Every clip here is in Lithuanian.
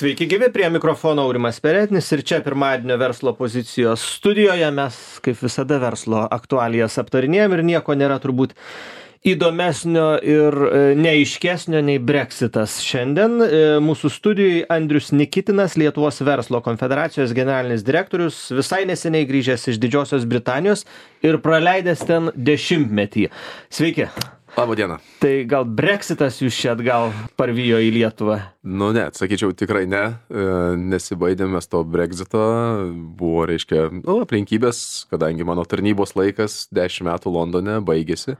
Sveiki gyvi, prie mikrofono Aurimas Perednis ir čia pirmadienio verslo pozicijos studijoje mes, kaip visada, verslo aktualijas aptarinėjom ir nieko nėra turbūt įdomesnio ir neaiškesnio nei Brexitas. Šiandien mūsų studijai Andrius Nikitinas, Lietuvos verslo konfederacijos generalinis direktorius, visai neseniai grįžęs iš Didžiosios Britanijos ir praleidęs ten 10-metį. Sveiki. Labą dieną. Tai gal Brexitas jūs čia atgal parvijo į Lietuvą? Nu ne, sakyčiau tikrai ne, nesibaidėm mes to Brexito, buvo, reiškia, aplinkybės, kadangi mano tarnybos laikas 10 metų Londone baigėsi.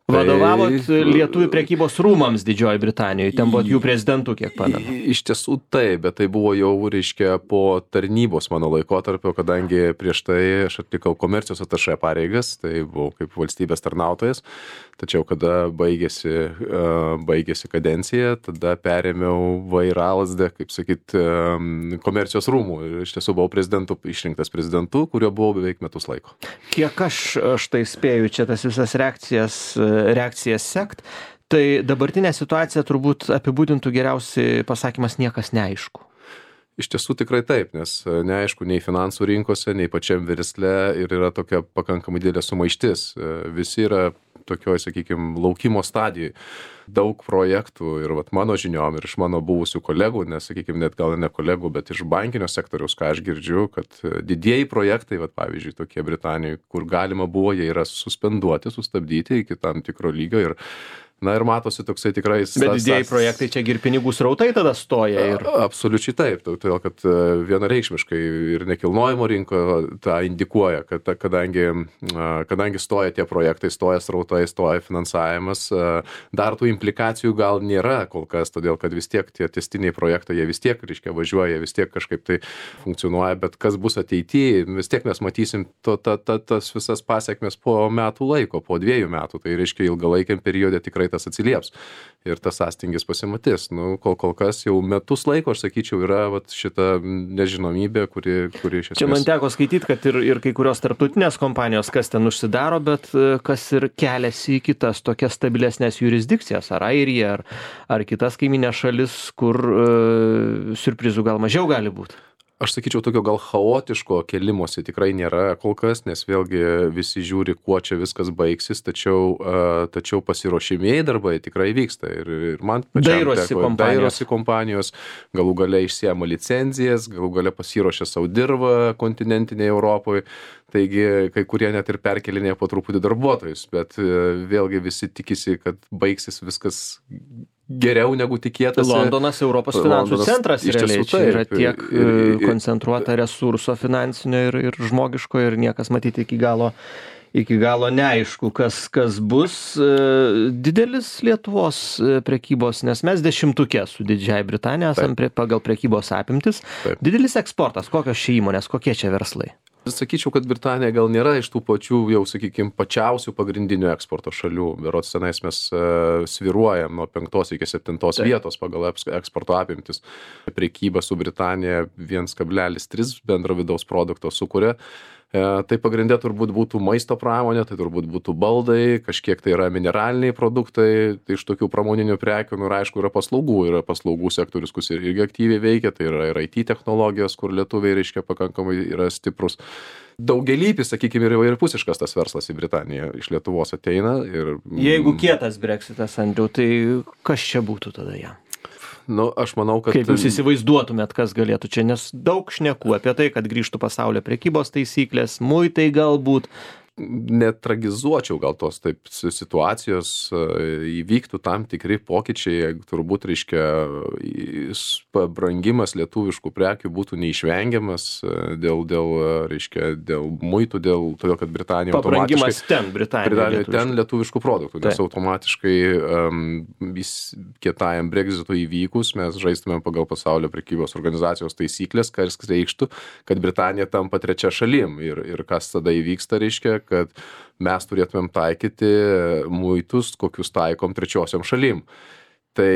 Vadovavot Lietuvių prekybos rūmams Didžioji Britanijoje, ten buvot jų prezidentų, kiek pamenu. Iš tiesų taip, bet tai buvo jau, reiškia, po tarnybos mano laikotarpio, kadangi prieš tai aš atlikau komercijos atašė pareigas, tai buvau kaip valstybės tarnautojas, tačiau kada baigėsi kadencija, tada perėmiau vairalazdę, kaip sakyt, komercijos rūmų ir iš tiesų buvau išrinktas prezidentu, kurio buvau beveik metus laiko. Kiek aš štai spėju čia tas visas reakcijas sekt, tai dabartinė situacija turbūt apibūdintų geriausiai pasakymas niekas neaišku. Iš tiesų tikrai taip, nes neaišku nei finansų rinkose, nei pačiam versle ir yra tokia pakankamai didelė sumaištis. Visi yra tokioj, sakykime, laukimo stadijoj. Daug projektų ir mano žiniom ir iš mano buvusių kolegų, nes, sakykime, net gal ne kolegų, bet iš bankinio sektoriaus, ką aš girdžiu, kad didieji projektai, pavyzdžiui, tokie Britanijoje, kur galima buvo, jie yra suspenduoti, sustabdyti iki tam tikro lygio ir matosi toksai tikrai... Bet didieji projektai čia ir pinigų srautai tada stoja ir... Absoliučiai taip, todėl kad vienareikšmiškai ir nekilnojimo rinko tą indikuoja, kad kadangi stoja tie projektai, stoja srautai, stoja finansavimas, dar tų implikacijų gal nėra kol kas, todėl kad vis tiek tie tęstiniai projektai, jie vis tiek, reiškia, važiuoja, vis tiek kažkaip tai funkcionuoja, bet kas bus ateityje, vis tiek mes matysim tas visas pasiekmes po metų laiko, po 2 metų, tai reiškia ilgalaikiam periode tikrai tas atsilieps ir tas sąstingis pasimatys. Kol kas jau metus laiko, aš sakyčiau, yra šita nežinomybė, kuri iš esmės... Čia man teko skaityti, kad ir kai kurios tarptautinės kompanijos, kas ten užsidaro, bet kas ir keliasi į kitas tokias stabilesnės jurisdikcijas, ar Airija, ar kitas kaiminės šalis, kur siurprizų gal mažiau gali būti. Aš sakyčiau, tokio gal chaotiško kelimosi tikrai nėra kol kas, nes vėlgi visi žiūri, kuo čia viskas baigsis, tačiau pasiruošimieji darbai tikrai vyksta. Ir man pačiam dairosi kompanijos, galų gale išsiema licenzijas, galų gale pasiruošia savo dirbą kontinentinėje Europoje. Taigi, kai kurie net ir perkelinėja po truputį darbuotojus, bet vėlgi visi tikisi, kad baigsis viskas geriau negu tikėtasi. Londonas Europos finansų centras realiai. Čia yra tiek koncentruota resurso finansinio ir žmogiško ir niekas matyti iki galo neaišku, kas bus. Didelis Lietuvos prekybos, nes mes 10-tuke su Didžiąja Britanija esam pagal prekybos apimtis. Taip. Didelis eksportas, kokios čia įmonės, kokie čia verslai? Sakyčiau, kad Britanija gal nėra iš tų pačių, jau sakykime, pačiausių pagrindinių eksporto šalių. Berods tenais mes sviruojam nuo 5 iki 7 vietos pagal eksporto apimtis. Prekyba su Britanija 1,3 bendro vidaus produkto sukuria. Tai pagrindė turbūt būtų maisto pramonė, tai turbūt būtų baldai, kažkiek tai yra mineraliniai produktai, tai iš tokių pramoninių prekių, ir aišku, yra paslaugų sektorius, kuris irgi aktyviai veikia, tai yra ir IT technologijos, kur lietuviai, reiškia, pakankamai yra stiprus. Daugialypis, sakykime, ir įvairiapusiškas tas verslas į Britaniją iš Lietuvos ateina. Jeigu kietas Brexitas, Andriau, tai kas čia būtų tada jam? Aš manau, kad... Kaip jūs įsivaizduotumėt, kas galėtų čia, nes daug šnekų apie tai, kad grįžtų pasaulio prekybos taisyklės, muitai galbūt. Netragizuočiau gal tos taip situacijos, įvyktų tam tikri pokyčiai, turbūt, reiškia, pabrangimas lietuviškų prekių būtų neišvengiamas dėl muitų, todėl, kad Britanija pabrangimas ten lietuviškų produktų, nes automatiškai kietajam Brexitui įvykus mes žaistumėm pagal pasaulio prekybos organizacijos taisyklės, kas reikštų, kad Britanija tampa trečia šalim ir kas tada įvyksta, reiškia, kad mes turėtumėm taikyti muitus, kokius taikom trečiosiom šalim. Tai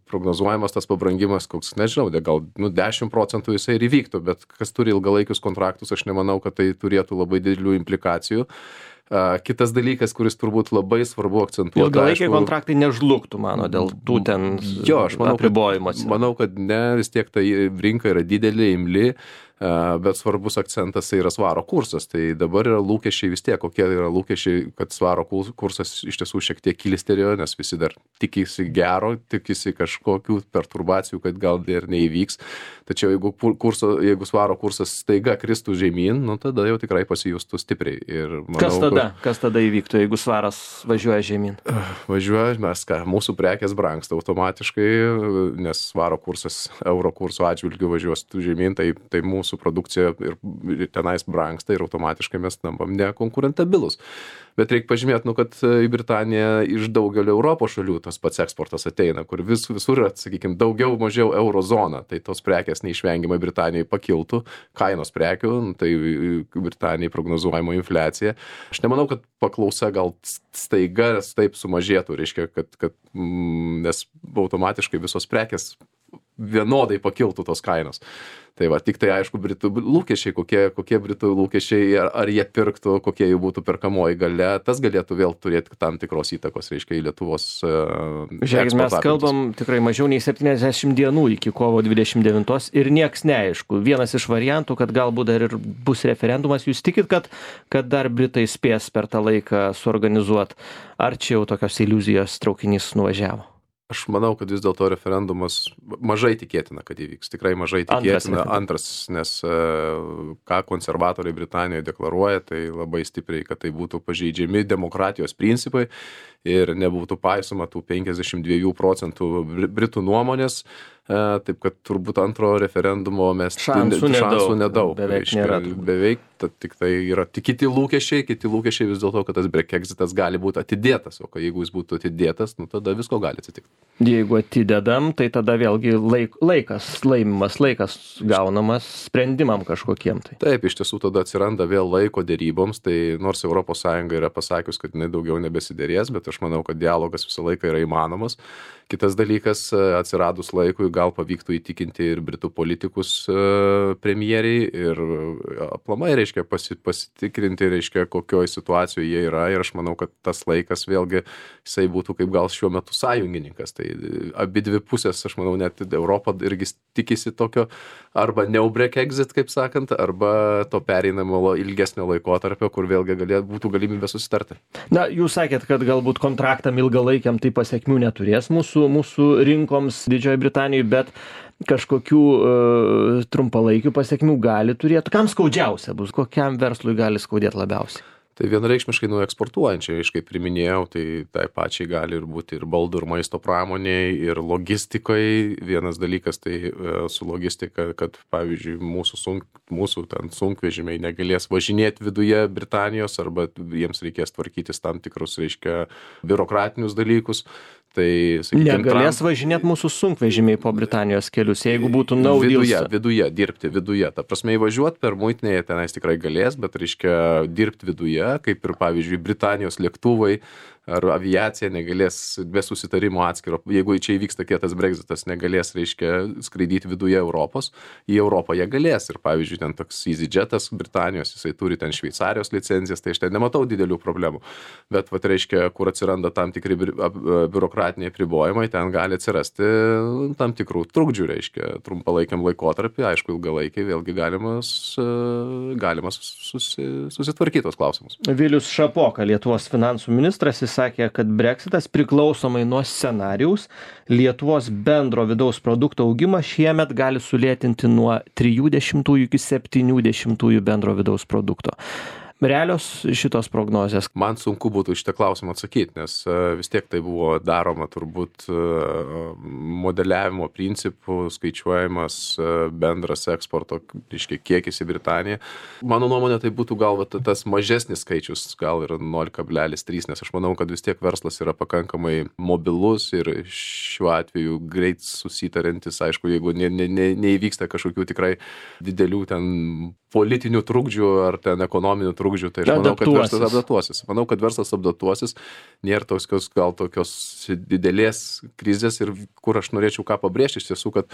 prognozuojamas tas pabrangimas, koks, nežinau, gal 10% jisai ir įvyktų, bet kas turi ilgalaikius kontraktus, aš nemanau, kad tai turėtų labai didelių implikacijų. Kitas dalykas, kuris turbūt labai svarbu akcentuoti. Ilgalaikiai kontraktai nežlugtų, mano, dėl tų ten apribojimų. Manau, kad ne, vis tiek ta rinka yra didelė, imli, bet svarbus akcentas tai yra svaro kursas. Tai dabar yra lūkesčiai vis tiek, kokie yra lūkesčiai, kad svaro kursas iš tiesų šiek tiek kilstelėjo, nes visi dar tikisi gero, tikisi kažkokių perturbacijų, kad gal ir neįvyks. Tačiau jeigu svaro kursas staiga kristų žemyn, nu tada jau tikrai pasijustų stipriai. Ir manau, Kas tada įvyktų, jeigu svaras važiuoja žemyn? Važiuoja, mūsų prekės brangsta automatiškai, nes svaro kursas euro kurso atžvilgiu važiuos žemyn, tai mūsų produkcija ir tenais brangsta ir automatiškai mes tampam nekonkurentabilus. Bet reikia pažymėti, kad į Britaniją iš daugelio Europos šalių tas pats eksportas ateina, kur visur yra, sakykime, daugiau mažiau eurozona, tai tos prekės neišvengiamai Britanijai pakiltų, kainos prekių, tai Britanijai prognozuojama infliacija. Aš nemanau, kad paklausa gal staiga taip sumažėtų, reiškia, nes automatiškai visos prekės vienodai pakiltų tos kainos. Tai va, tik tai aišku, Britų lūkesčiai, kokie Britų lūkesčiai, ar jie pirktų, kokie jų būtų perkamoji galia, tas galėtų vėl turėti tam tikros įtakos, reiškia, į Lietuvos Žiūrėkit, mes kalbam tikrai mažiau nei 70 dienų iki kovo 29 ir nieks neaišku. Vienas iš variantų, kad galbūt dar ir bus referendumas, jūs tikit, kad dar Britai spės per tą laiką suorganizuoti, ar čia jau tokios iliuzijos traukinys nuvažiavo? Aš manau, kad vis dėlto referendumas mažai tikėtina, kad įvyks. Tikrai mažai tikėtina. Antras, nes ką konservatoriai Britanijoje deklaruoja, tai labai stipriai, kad tai būtų pažeidžiami demokratijos principai ir nebūtų paisoma tų 52% Britų nuomonės. Taip, kad turbūt antro referendumo mes šansų nedaug. Beveik, tik tai yra kiti lūkesčiai vis dėlto, kad tas Brexitas gali būti atidėtas, o jeigu jis būtų atidėtas, nu tada visko gali atsitikti. Jeigu atidedam, tai tada vėlgi laimimas laikas gaunamas sprendimam kažkokiem. Taip, iš tiesų tada atsiranda vėl laiko deryboms, tai nors ES yra pasakius, kad jinai daugiau nebesiderės, bet aš manau, kad dialogas visą laiką yra įmanomas. Kitas dalykas, atsiradus laikui gal pavyktų įtikinti ir Britų politikus premjeriai ir aplamai, reiškia, pasitikrinti, reiškia, kokioje situacijoje jie yra ir aš manau, kad tas laikas vėlgi jisai būtų kaip gal šiuo metu sąjungininkas. Tai abi dvi pusės, aš manau, net Europa irgi tikisi tokio arba Brexit, kaip sakant, arba to pereinamo ilgesnio laikotarpio, kur vėlgi būtų galimybė susitarti. Na, jūs sakėt, kad galbūt kontraktam ilgalaikiam tai pasekmių neturės mūsų rinkoms Didžioji Britanijoje, bet kažkokių trumpalaikių pasekmių gali turėti. Kam skaudžiausia bus? Kokiam verslui gali skaudėti labiausiai? Tai vienareikšmiškai eksportuojančiai, aš kaip priminėjau, tai pačiai gali ir būti ir baldų, ir maisto pramoniai, ir logistikai. Vienas dalykas tai su logistika, kad pavyzdžiui mūsų ten sunkvežimiai negalės važinėti viduje Britanijos arba jiems reikės tvarkytis tam tikrus, reiškia, biurokratinius dalykus. Tai, sakykime, negalės važinėti mūsų sunkvežimiai po Britanijos kelius, jeigu būtų viduje, dirbti viduje. Ta prasme, įvažiuoti per muitinėje tenais tikrai galės, bet, reiškia, dirbti viduje, kaip ir, pavyzdžiui, Britanijos lėktuvai ar aviacija negalės be susitarimo atskiro, jeigu čia įvyksta kietas Brexitas, negalės, reiškia, skraidyti viduje Europos, į Europą jie galės. Ir, pavyzdžiui, ten toks EasyJetas Britanijos, jisai turi ten Šveicarijos licencijas, tai aš ten nematau didelių problemų. Bet, reiškia, kur atsiranda tam tikri biurokratiniai apribojimai, ten gali atsirasti tam tikrų trukdžių, reiškia, trumpalaikiam laikotarpį, aišku, ilgalaikiai, vėlgi galimas susitvarkyti tos klausimus. Vilius Šapoka, Lietuvos finansų ministras, jis sakė, kad Brexitas priklausomai nuo scenarijaus Lietuvos bendro vidaus produkto augimą šiemet gali sulėtinti nuo 30 iki 70 bendro vidaus produkto. Realios šitos prognozės? Man sunku būtų šitą klausimą atsakyti, nes vis tiek tai buvo daroma turbūt modeliavimo principų, skaičiuojamas bendras eksporto, reiškia, kiekis į Britaniją. Mano nuomonė, tai būtų gal tas mažesnis skaičius, gal ir 0,3, nes aš manau, kad vis tiek verslas yra pakankamai mobilus ir šiuo atveju greit susitarantis, aišku, jeigu neįvyksta kažkokių tikrai didelių ten politinių trukdžių ar ten ekonominių trukdžių, tai aš manau, kad verslas adaptuosis. Manau, kad verslas adaptuosis, nėra tokios didelės krizės ir kur aš norėčiau ką pabrėžti, iš tiesų, kad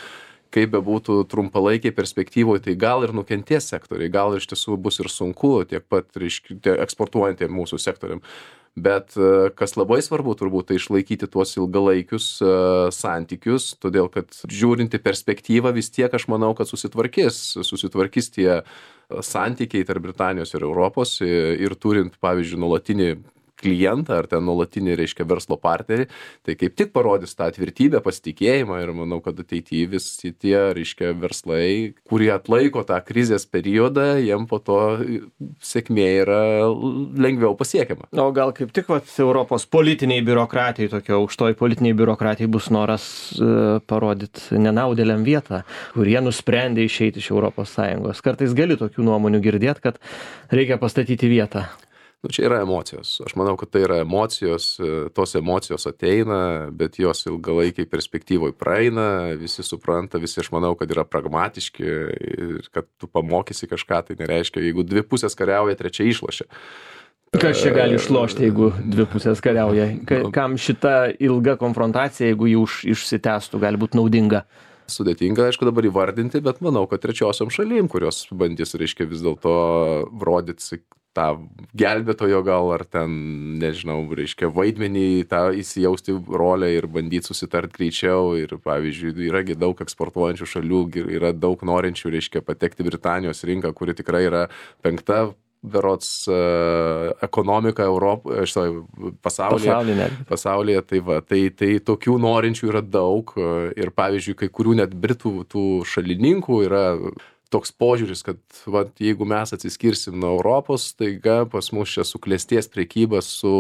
kaip bebūtų trumpalaikiai perspektyvoje, tai gal ir nukentės sektoriai, gal iš tiesų bus ir sunku tiek pat, reiškia, eksportuojantiem mūsų sektoriam. Bet kas labai svarbu turbūt, tai išlaikyti tuos ilgalaikius santykius, todėl kad žiūrinti perspektyvą vis tiek aš manau, kad susitvarkys tie santykiai tarp Britanijos ir Europos ir turint, pavyzdžiui, nuolatinį klientą ar ten nuolatinį, reiškia, verslo partnerį, tai kaip tik parodys tą tvirtybę, pasitikėjimą ir manau, kad ateityje visi tie, reiškia, verslai, kurie atlaiko tą krizės periodą, jiem po to sėkmė yra lengviau pasiekiama. O gal kaip tik Europos politiniai biurokratijai, tokio aukštoj politiniai biurokratijai bus noras parodyti nenaudėliam vietą, kurie nusprendė išeiti iš ES. Kartais gali tokių nuomonių girdėti, kad reikia pastatyti vietą. Čia yra emocijos. Aš manau, kad tai yra emocijos, tos emocijos ateina, bet jos ilgalaikiai perspektyvoje praeina, visi supranta, visi aš manau, kad yra pragmatiški ir kad tu pamokysi kažką, tai nereiškia, jeigu dvi pusės kariauja, trečia išlošia. Kas čia gali išlošti, jeigu dvi pusės kariauja? Kam šita ilga konfrontacija, jeigu jų išsitęstų, gali būti naudinga? Sudėtinga, aišku, dabar įvardinti, bet manau, kad trečiosiom šalim, kurios bandys, reiškia, vis dėlto rodyti tą gelbėtojo gal ar ten, nežinau, reiškia, vaidmenį, tą įsijausti rolę ir bandyti susitart greičiau. Ir, pavyzdžiui, yragi daug eksportuojančių šalių, yra daug norinčių, reiškia, patekti Britanijos rinką, kuri tikrai yra 5. berods ekonomika pasaulyje, tai tokių norinčių yra daug ir, pavyzdžiui, kai kurių net Britų tų šalininkų yra toks požiūris, kad jeigu mes atsiskirsim nuo Europos, taiga pas mus čia suklestės prekyba su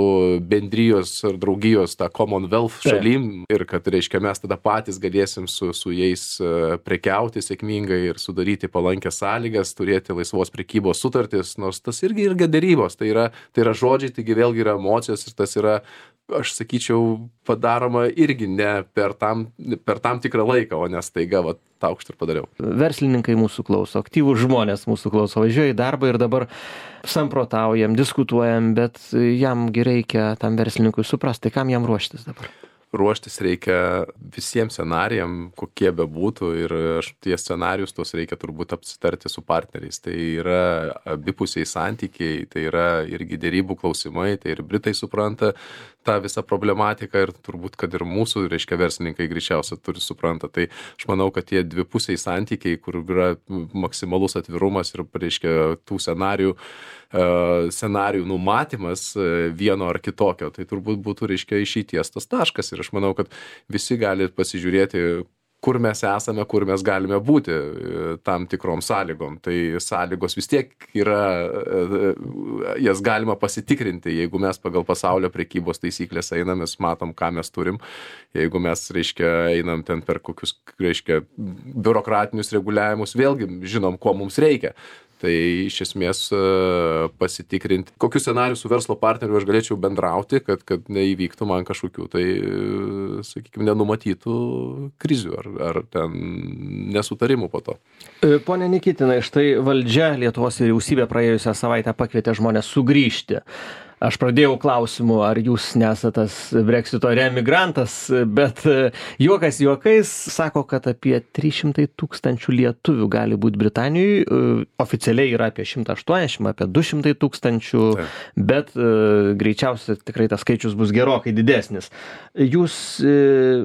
bendrijos ar draugijos tą Commonwealth šalim ir kad, reiškia, mes tada patys galėsim su jais prekiauti sėkmingai ir sudaryti palankias sąlygas, turėti laisvos prekybos sutartis, nors tas irgi derybos, tai yra žodžiai, taigi vėlgi yra emocijos ir tas yra, aš sakyčiau, padaroma irgi ne per tam tikrą laiką, o ne staiga, taukšt ir padariau. Verslininkai mūsų klauso, aktyvūs žmonės mūsų klauso, važiuoja į darbą ir dabar samprotaujam, diskutuojam, bet jam reikia tam verslininkui suprasti, kam jam ruoštis dabar. Ruoštis reikia visiems scenarijam, kokie bebūtų ir tie scenarijus tos reikia turbūt apsitarti su partneriais. Tai yra abipusiai santykiai, tai yra irgi derybų klausimai, tai ir Britai supranta tą visą problematiką ir turbūt, kad ir mūsų, reiškia, verslininkai greičiausiai turi supranta. Tai aš manau, kad tie dvipusiai santykiai, kur yra maksimalus atvirumas ir, reiškia, tų scenarijų numatymas vieno ar kitokio, tai turbūt būtų, reiškia, išeities tas taškas. Ir aš manau, kad visi gali pasižiūrėti, kur mes esame, kur mes galime būti tam tikrom sąlygom. Tai sąlygos vis tiek yra, jas galima pasitikrinti, jeigu mes pagal pasaulio prekybos taisyklės einam, mes matom, ką mes turim. Jeigu mes, reiškia, einam ten per kokius, reiškia, biurokratinius reguliavimus, vėlgi žinom, ko mums reikia. Tai iš esmės pasitikrinti, kokius scenarius su verslo partneriu aš galėčiau bendrauti, kad neįvyktų man kažkokių, tai, sakykime, nenumatytų krizių ar ten nesutarimų po to. Pone Nikitinai, štai valdžia, Lietuvos vyriausybė praėjusią savaitę pakvietė žmonės sugrįžti. Aš pradėjau klausimu, ar jūs nesate tas Brexito reemigrantas, bet juokas juokais sako, kad apie 300 000 lietuvių gali būti Britanijoje, oficialiai yra apie 180, apie 200 000, bet greičiausiai tikrai tas skaičius bus gerokai didesnis. Jūs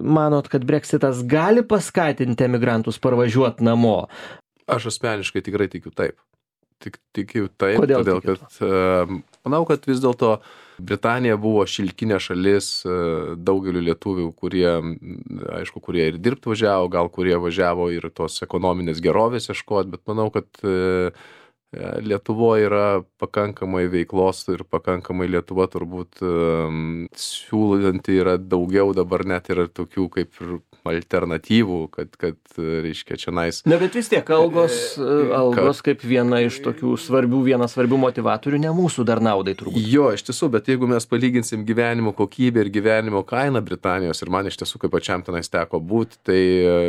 manot, kad Brexitas gali paskatinti emigrantus parvažiuoti namo? Aš asmeniškai tikrai tikiu taip. Tikiu taip, Kodėl todėl kad manau, kad vis dėlto Britanija buvo šilkinė šalis daugeliu lietuvių, kurie ir dirbt važiavo, gal kurie važiavo ir tos ekonominės gerovės ieškot, bet manau, kad Lietuvoje yra pakankamai veiklos ir pakankamai Lietuva turbūt siūlanti yra daugiau dabar net yra tokių kaip ir alternatyvų, kad reiškia, čionais. Na, bet vis tiek algos kaip vienas svarbių motivatorių, ne mūsų dar naudai turbūt. Jo, iš tiesų, bet jeigu mes palyginsim gyvenimo kokybę ir gyvenimo kainą Britanijos, ir man iš tiesų, kaip pačiam tenais teko būti, tai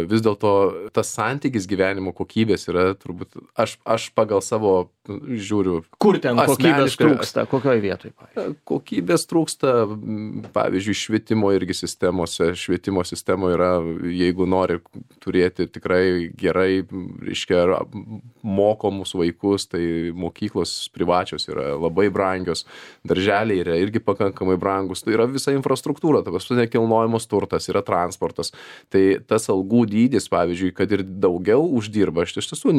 vis dėlto tas santykis gyvenimo kokybės yra turbūt, aš pagal savo savo, žiūriu. Kur ten kokybės trūksta, kokioje vietoje? Kokybės trūksta, pavyzdžiui, švietimo irgi sistemose. Švietimo sistemoje yra, jeigu nori turėti tikrai gerai, reiškia, mokomus vaikus, tai mokyklos privačios yra labai brangios, darželiai yra irgi pakankamai brangus, tai yra visa infrastruktūra, tai paskui nekilnojamas turtas, yra transportas. Tai tas algų dydis, pavyzdžiui, kad ir daugiau uždirba, aš iš tiesų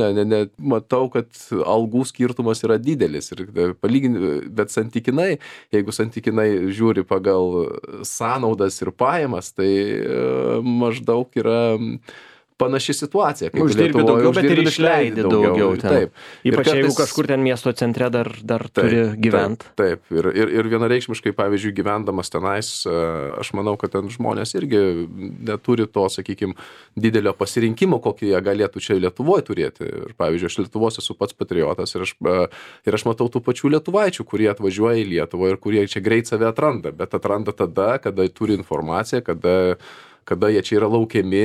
matau, kad algų skirtumas yra didelis, bet santykinai, jeigu santykinai žiūri pagal sąnaudas ir pajamas, tai maždaug yra panaši situacija. Uždirbi daugiau, bet ir išleidi daugiau. Taip. Ypač jeigu kažkur ten miesto centre dar turi gyventi. Taip. Ir vienareikšmiškai, pavyzdžiui, gyvendamas tenais, aš manau, kad ten žmonės irgi neturi to, sakykime, didelio pasirinkimo, kokį jie galėtų čia Lietuvoje turėti. Ir, pavyzdžiui, aš Lietuvos esu pats patriotas ir aš matau tų pačių lietuvaičių, kurie atvažiuoja į Lietuvą ir kurie čia greit save atranda, bet atranda tada, kada turi informaciją, kada jie čia yra laukiami.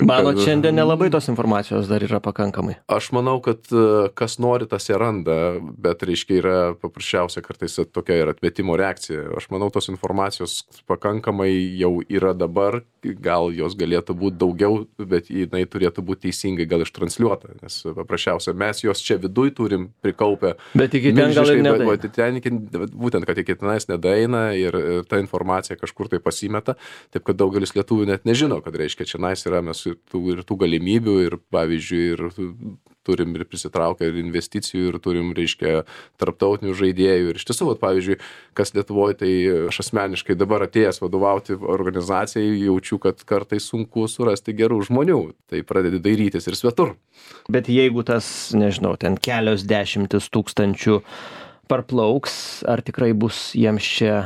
Manot, šiandien nelabai tos informacijos dar yra pakankamai? Aš manau, kad kas nori, tas ją randa, bet reiškia yra paprasčiausia kartais tokia ir atmetimo reakcija. Aš manau, tos informacijos pakankamai jau yra dabar, gal jos galėtų būti daugiau, bet jinai turėtų būti teisingai gal ištransliuota, nes paprasčiausia mes jos čia viduj turim prikaupę. Bet iki ten gal ir nedaina. Būtent, kad iki tenais nedaina ir ta informacija kažkur tai pasimeta, taip kad daugelis lietuvių net nežino, kad reiškia čia nais yra mes ir tų galimybių ir pavyzdžiui ir turim ir prisitraukę ir investicijų ir turim, reiškia, tarptautinių žaidėjų ir iš tiesų, pavyzdžiui, kas Lietuvoje, tai aš asmeniškai dabar atėjęs vadovauti organizacijai jaučiu, kad kartais sunku surasti gerų žmonių, tai pradedi dairytis ir svetur. Bet jeigu tas, nežinau, ten kelios dešimtis tūkstančių parplauks, ar tikrai bus jiems čia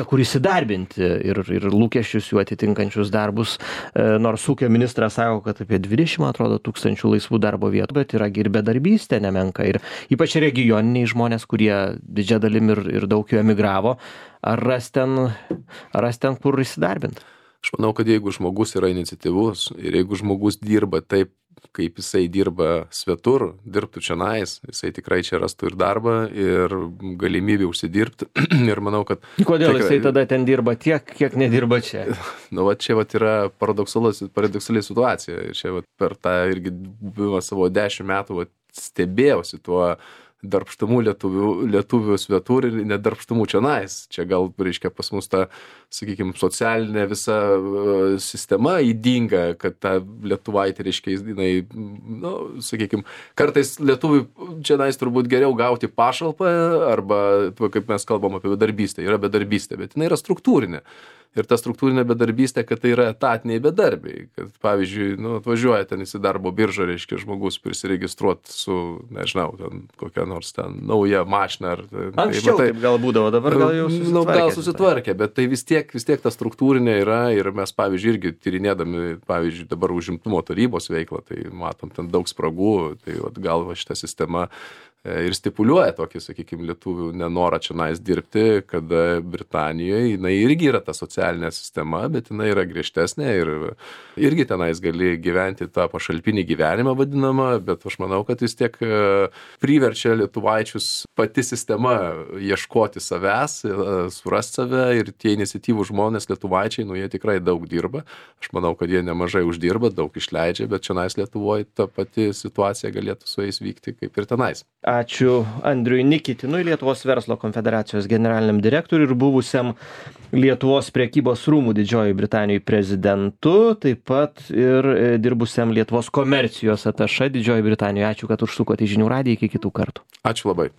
kur įsidarbinti ir lūkesčius jų atitinkančius darbus, nors ūkio ministras sako, kad apie 20, atrodo, tūkstančių laisvų darbo vietų, bet yra ir bedarbystė nemenka. Ir ypač regioniniai žmonės, kurie didžia dalim ir daug jų emigravo, ar ras ten kur įsidarbinti? Aš manau, kad jeigu žmogus yra iniciatyvus ir jeigu žmogus dirba taip, kaip jisai dirba svetur, dirbtų čia nais, jisai tikrai čia rastų ir darbą, ir galimybę užsidirbti. Ir manau, kad... Kodėl jisai tada ten dirba tiek, kiek nedirba čia? Čia yra paradoksali situacija. Ir čia per tą irgi buvimą savo 10 metų stebėjausi tuo darbštumų lietuvių svetur ir nedarbštumų čia nais. Čia gal, reiškia, pas mus ta, sakykime, socialinė visa sistema įdinga, kad ta lietuvaitė, reiškia, jinai, sakykime, kartais lietuvių čia nais turbūt geriau gauti pašalpą, arba, kaip mes kalbam apie bedarbystę, yra bedarbystė, bet jinai yra struktūrinė. Ir ta struktūrinė bedarbystė, kad tai yra etatiniai bedarbiai. Kad, pavyzdžiui, atvažiuoja ten į darbo biržą, reiškia, žmogus prisiregistruoti su, nežinau, ten kokia nors ten nauja mašina. Anksčiau taip gal būdavo, dabar gal jau susitvarkė. Gal susitvarkė, bet tai vis tiek ta struktūrinė yra ir mes, pavyzdžiui, irgi tyrinėdami, pavyzdžiui, dabar užimtumo tarybos veiklą, tai matom ten daug spragų, tai gal šita sistema ir stipuliuoja tokį, sakykime, lietuvių nenorą čia nais dirbti, kada Britanijoje jinai irgi yra ta socialinė sistema, bet jinai yra griežtesnė ir irgi tenais gali gyventi tą pašalpinį gyvenimą vadinamą, bet aš manau, kad vis tiek priverčia lietuvaičius pati sistema ieškoti savęs, surasti save ir tie iniciatyvų žmonės lietuvaičiai, jie tikrai daug dirba. Aš manau, kad jie nemažai uždirba, daug išleidžia, bet čia nais Lietuvoje ta pati situacija galėtų su jais vykti kaip ir tenais. Ačiū Andriui Nikitinui, Lietuvos verslo konfederacijos generaliniam direktoriui ir buvusiam Lietuvos prekybos rūmų Didžiojoje Britanijoje prezidentu, taip pat ir dirbusiam Lietuvos komercijos atašė Didžiojoje Britanijoje. Ačiū, kad užsukote į Žinių radiją, iki kitų kartų. Ačiū labai.